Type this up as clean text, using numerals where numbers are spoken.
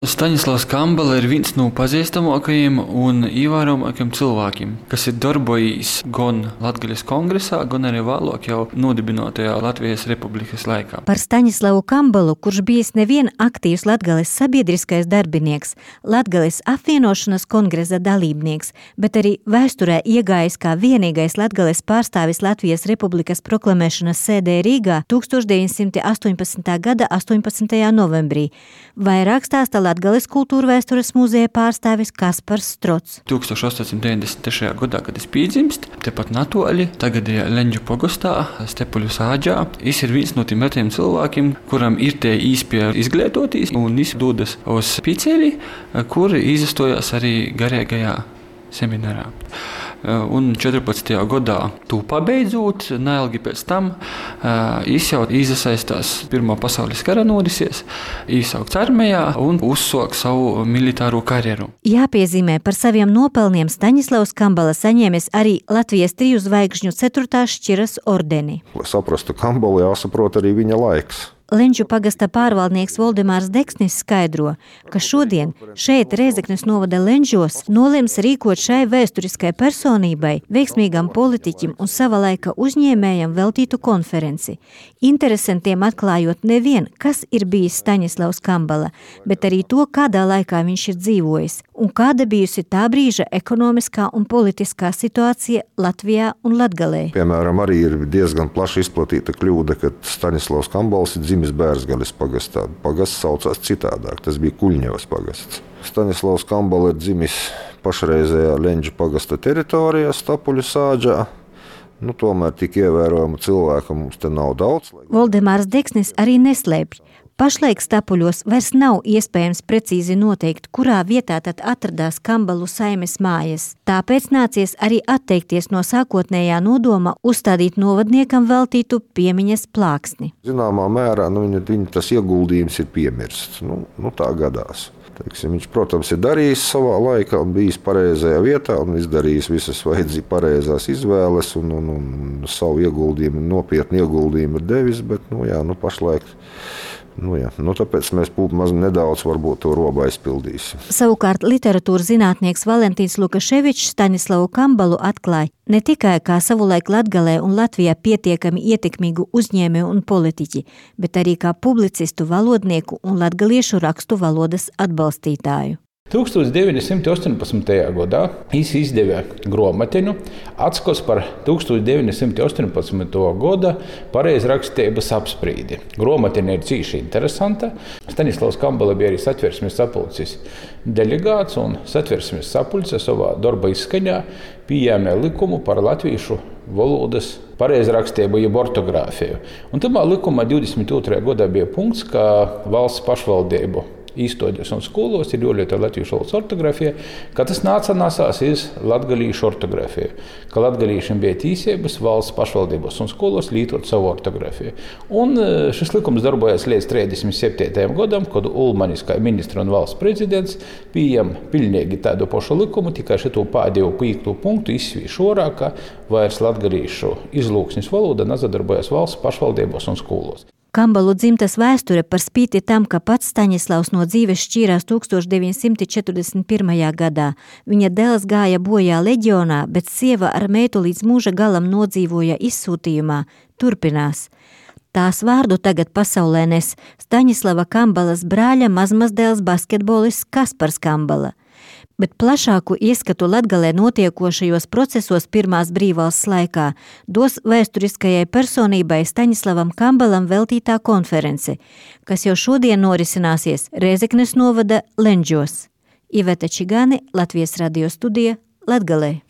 Staņislavs Kambala ir viens no pazīstamākajiem un ievērojamākajiem cilvēkiem, kas ir darbojis gan Latgaļas kongresā, gan arī vēlāk jau nodibinātajā Latvijas Republikas laikā. Par Staņislavu Kambalu, kurš bijis nevien aktīvs Latgales sabiedriskais darbinieks, Latgales apvienošanas kongresa dalībnieks, bet arī vēsturē iegājis kā vienīgais Latgales pārstāvis Latvijas Republikas proklamēšanas sēdē Rīgā 1918. gada 18. novembrī. Vairāk stāsta Latgales kultūrvēstures muzeja pārstāvis Kaspars Strots. 1893. gadā, kad es piedzimst, tepat natoli, tagad ir Leņģu pogostā, Stepuļu sāģā. Es ir viens no tiem retiem cilvēkiem, kuram ir tie īspēja izglītoties un dodas uz Piceli, kur izastojās arī garīgajā seminārā. Un 14. gadā to pabeidzot, neilgi pēc tam, es jau izasaistās Pirmā pasaules kara norisies, īsaukts armijā un uzsāk savu militāro karjeru. Jāpiezīmē, par saviem nopelniem Staņislavs Kambala saņēmis arī Latvijas 3 zvaigžņu 4. šķiras ordeni. Lai saprastu Kambalu, jāsaprot arī viņa laiks. Leņģu pagasta pārvaldnieks Voldemārs Deksnis skaidro, ka šodien šeit Rēzeknes novada Leņģos nolems rīkot šai vēsturiskai personībai, veiksmīgam politiķim un sava laika uzņēmējam veltītu konferenci. Interesantiem atklājot nevien, kas ir bijis Staņislavs Kambala, bet arī to, kādā laikā viņš ir dzīvojis un kāda bijusi tā brīža ekonomiskā un politiskā situācija Latvijā un Latgalē. Piemēram, arī ir diezgan plaši izplatīta kļūda, ka Staņislavs Kambals ir dzimis Bērzgaļas pagastā. Pagasts saucās citādāk, tas bija Kuļņevas pagasts. Staņislavs Kambala ir dzimis pašreizējā Leņģu pagasta teritorijā, Stepuļu sāģā. Tomēr tik ievērojamu cilvēku mums te nav daudz. Voldemārs Deksnis arī neslēpj. Pašlaik Stepuļos vairs nav iespējams precīzi noteikt, kurā vietā tad atradās Kambalu saimes mājas. Tāpēc nācies arī atteikties no sākotnējā nodoma uzstādīt novadniekam veltītu piemiņas plāksni. Zināmā mērā viņa tas ieguldījums ir piemirsts. Tā gadās. Viņš, protams, ir darījis savā laikā un bijis pareizajā vietā un izdarījis visas pareizās izvēles un savu ieguldījumu, nopietnu ieguldījumu ir devis, bet pašlaik. Tāpēc mēs nedaudz varbūt to robu aizpildīsim. Savukārt literatūras zinātnieks Valentīns Lukaševičs Staņislavu Kambalu atklāja ne tikai kā savulaik Latgalē un Latvijā pietiekami ietekmīgu uzņēmēju un politiķi, bet arī kā publicistu, valodnieku un latgaliešu rakstu valodas atbalstītāju. 1918. gadā viņš izdeva grāmatiņu Atskos par 1918. gada pareizrakstības apsprīdi. Grāmatiņa ir cīši interesanta. Staņislavs Kambala bija arī Satversmes sapulces delegāts, un Satversmes sapulce savā darba izskaņā pieņēma likumu par latviešu valodas pareizrakstību jeb ortogrāfiju. Un tamā likumā 22. gadā bija punkts, ka valsts pašvaldību īstoģos un skolos ir jālieto latviešu valodas ortogrāfija, ka tas nācās iz latgalīšu ortogrāfiju, ka latgalīšiem bija tīsības valsts pašvaldībos un skolos lietot savu ortogrāfiju. Un šis likums darbojas līdz 37. gadam, kad Ulmanis, kā ministra un valsts prezidents, pieņem pilnīgi tādu pašu likumu, tikai šito pēdējo 5. punktu izsvīš orā, ka vairs latgalīšu izlūksnis valoda nezadarbojas valsts pašvaldībos un skolos. Kambalu dzimtas vēsture par spīti tam, ka pats Staņislavs no dzīves šķīrās 1941. gadā. Viņa dēls gāja bojā leģionā, bet sieva ar meitu līdz mūža galam nodzīvoja izsūtījumā, turpinās. Tās vārdu tagad pasaulē nes Staņislava Kambalas brāļa mazmazdēls basketbolists Kaspars Kambala. Bet plašāku ieskatu Latgalē notiekošajos procesos pirmās brīvvalsts laikā dos vēsturiskajai personībai Staņislavam Kambalam veltītā konference, kas jau šodien norisināsies Rēzeknes novada Leņģos. Iveta Čigāne, Latvijas radio studija, Latgalē.